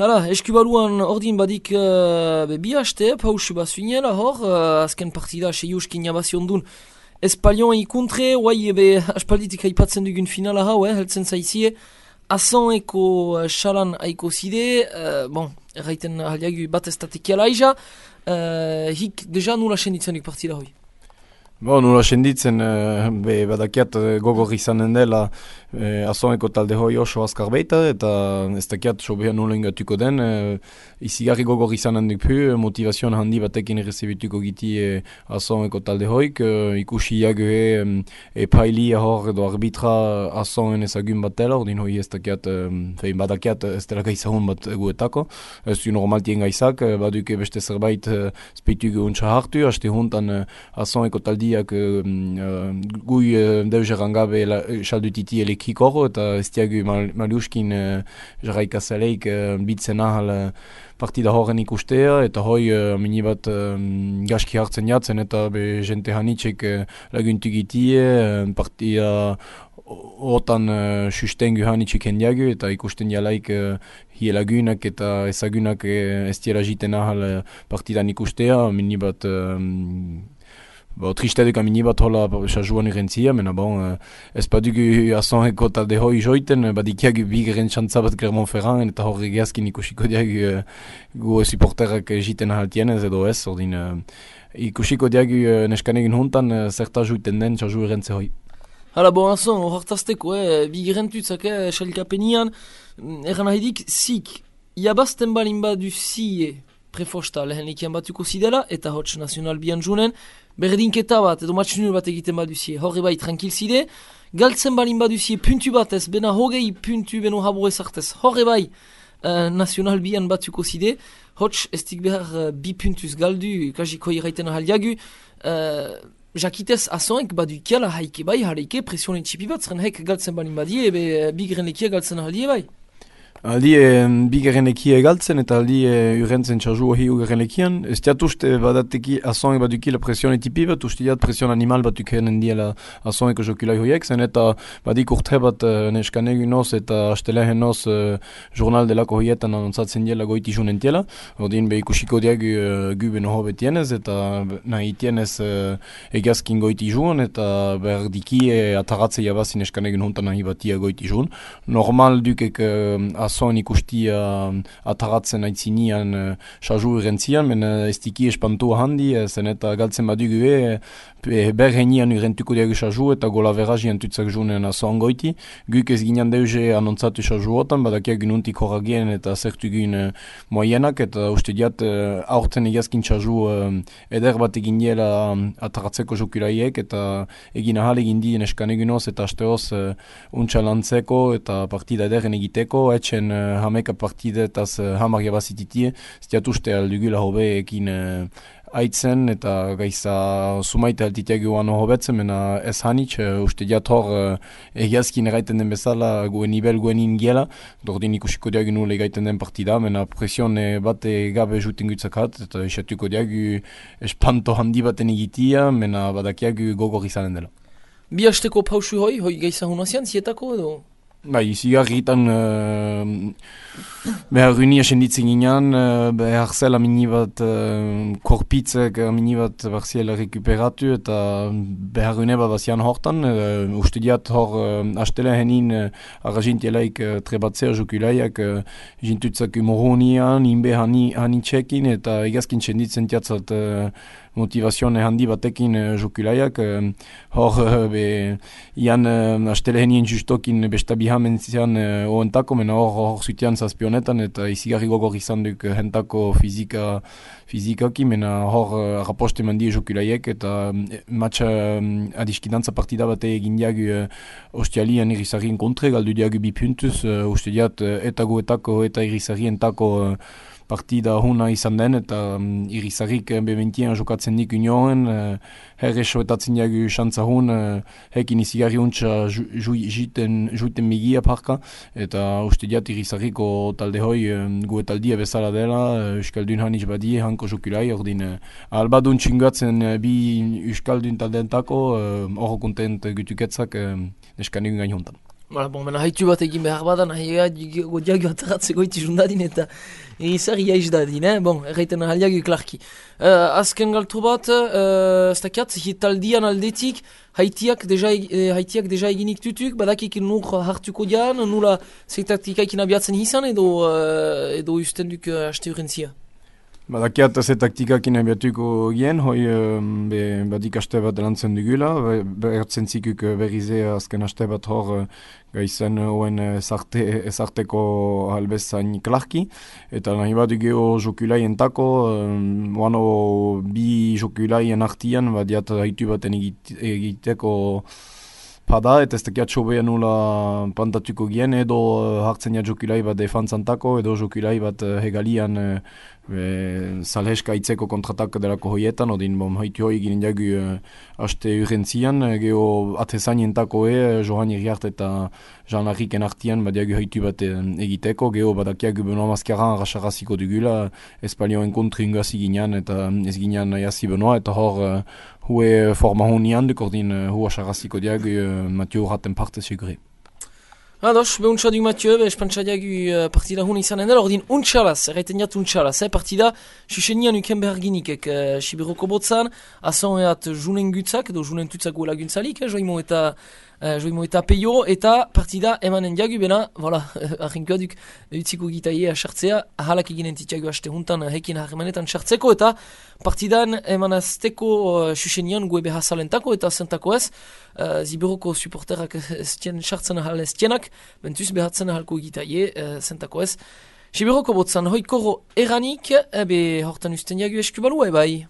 Hala, eskubaluan ordin badik bi haste, pausu bat zuinela hor, azken partida seiuskin jabazion dun Espalion ikuntre, guai aspalditik haipatzen dugun finala hau, heltzen zaizie, Azoneko xalan haiko zide, erraiten haliagu bat ez tatekiala aiza, hik deja nula senditzen partida hoi. Nula senditzen, badakiat gogor izanen dela Azoneko talde hoi oso azkar baita, eta ez dakiat sobean nula ingatuko den, izigarri gogor izanen dupu, motivazioan handi batekin errezibituko giti Azoneko talde hoik, ikusi jagoe epailia hor edo arbitra Azonen ezagun bat dela, ordin hoi ez dakiat, badakiat ez dela gaizahun bat guetako, ez du normaltien gaizak, baduke beste zerbait speitugu untsa hartu, haste huntan Azoneko taldi gui deuzeran gabe saldutiti elekikoro eta ez diagu maliuskin jarraikazaleik bitzen ahal partida horren ikustea eta hoi minibat gaski hartzen jatzen eta be jente hanitxek laguntugitie partida otan sustengu hanitxek hendiagu eta ikusten jalaik hielagunak eta ezagunak ez diela jiten ahal partidan ikustea minibat Tristeduk amini bat hola sajuan irentzia, mena ez badugu Azoneko talde hoi joiten, badikiagu bigeren txantzabat Clermont-Ferrand eta horre geazkin ikusiko diagu gu supporterak jiten ahaltienez edo ez, ordin ikusiko diagu neskanegin huntan zerta joiten den saju irentze hoi. Hala, Azon, hortazteko, bigeren tutzak, xalikapenian, eran ahidik, zik, jabazten balin badu zie prefosta lehen ikian batuko zidela, eta hotx nazional bian junen, berdinketa bat, edo match nul bat egiten baduzie, horre bai tranquil zide, galtzen balin baduzie puntu batez, bena hogei puntu beno habur ezartez, horre bai nazional bian batuko zide, hotx estik behar bi puntuz galdu, kajiko irraiten ahaliagu, jakitez Azonek badu kiala haike bai, haleike presionen txipi bat, zren hek galtzen balin badie, bi grenekia galtzen ahalie bai. Aldi bigeren ekia egaltzen eta aldi urentzen txarzu ohi ugeren ekian. Ez diat uste badateki Azonek badukila presione tipi bat, uste diat presion animal bat ukenen diela Azoneko jokulai hoiek, zen eta badik urte bat neskanegu noz eta astelehen noz jurnal delako hoietan anonzatzen diela goiti junen tiela. Ordin be ikusiko diagu guben hobe tienez eta nahi tienez egazkin goiti jun eta berdiki ataratze jabazin neskanegu huntan nahi batia goiti jun. Normal dukek Azon ikustia ataratzen aitzinian saju irentzian, men ez diki espantua handi, zen eta galtzen badugu berhenian irentuko diagu saju eta gola verrazian tutzak junen Azon goiti. Guk ez ginen deuze anontzatu saju otan, badakiak gununtik horagien eta zertugun moienak, eta uste diat aurten egazkin saju eder bat egin diela ataratzeko jokulaiek, eta egin ahal egin dien eskanegunoz eta asteoz untsa lantzeko eta partida ederen egiteko, etxen hameka partidetaz hamar jabazititie, ziat uste aldugula hobe ekin aitzen eta gaiza sumaita altiteagu ano hobetzen, mena ez hanitz, uste diat hor egiazkin eraiten den bezala guen nivel guen ingiela, dordin ikusiko diagu nule egaiten den partida, mena presion bat gabe juten gutzakat, eta esatuko diagu espanto handi baten egitia, mena badakiagu gogor izanen dela. Bi hasteko pausu hoi gaiza hunazian, zietako edo? Bai, zigarritan behar unia senditzen ginean, behar zela minibat korpitzek minibat barziela rekuperatu eta behar une bat bazian hortan. Uste diat hor astele henin arrazintielaik trebatzea jokulaiak jintutzak umorunian, inbe hanitxekin eta egazkin senditzen tiatzat motivazione handi batekin jokulaiak. Hor ian astele henien justokin bestabihamen zian oentako, mena hor zutian zazpionetan eta izigarri gogor izan duk hentako fizikaki, mena hor raposte mandi jokulaiek eta matxa adiskidantza partida bate egin diagu ostialian irizarrien kontre, galdu diagu bi puntuz, uste diat eta guetako eta irizarrientako partida huna izan den eta irizarrik beventien jokatzen dik unioen, herre soetatzen diagu xantza hun, hekin izigarri untsa juiten migia parka, eta uste diat irizarriko talde hoi guetaldia bezala dela, Euskaldun hanitz badie, hanko jokulai, ordin albadun txingatzen bi Euskaldun taldeentako, hor kontent gutuketzak neskanegun gain hontan. Bon, mena haitu bat egin behar bada, nahi godiago ataratzeko itizun dadin eta egizar iaiz dadin, Bon, erraiten ahaliago klarki. Azken galtu bat, ez dakiat, hitaldian aldetik, haitiak deja eginik tutuk, badakik nur hartuko dian, nula zeitatikaik abiatzen izan edo usten duk haste urrentzia. Badakiat ze taktikak inabiatuko gien, hoi badik aste bat lantzen dugula, behertzen zikuk berrize azken aste bat hor gaizen hoen ezarteko halbezain klarki, eta nahi bat dugeo jokulaien tako, oano bi jokulaien artian, badiat haitu baten egiteko pada, eta ez dakiat sobea nula pantatuko gien, edo hartzen ja jokulai bat defantzantako, edo jokulai bat hegalian salheska itzeko kontratak delako hoietan, odin haitu hoi ginen jagu haste urrentzian, geho atezainentako Johan Iriart eta Jean Larriken artian badiagu haitu bat egiteko, geho badakiagu Benoa Maskaran rasaraziko dugula, espalioen kontri ingazi ginean eta ez ginean jasi Benoa, eta hor hue forma honian duk ordin hua saraziko diagu Mathieu raten parte segure. Ados, behuntza duk Mathieu, espantza diagu partida hun izanen dela, ordin untxalaz, erraiten jat untxalaz, partida susenian uken behar ginikek Sibiroko botzan, azon eat junen gutzak, edo junen tutzak guela guntzalik, joimo eta peio, eta partida emanen diagu, bena, voilà, arrenkoa duk utziko gitaie asartzea, ahalak eginen titiago haste huntan hekin harremanetan sartzeko, eta partidan emanazteko susenian gue behazalentako eta zentako ez, Sibiroko supporterak estien sartzen ahal estienak, bentuz behatzen ahalko gitaie zentako ez. Sibiroko botzan hoikoro eranik, hortan usten diagu eskubalua bai.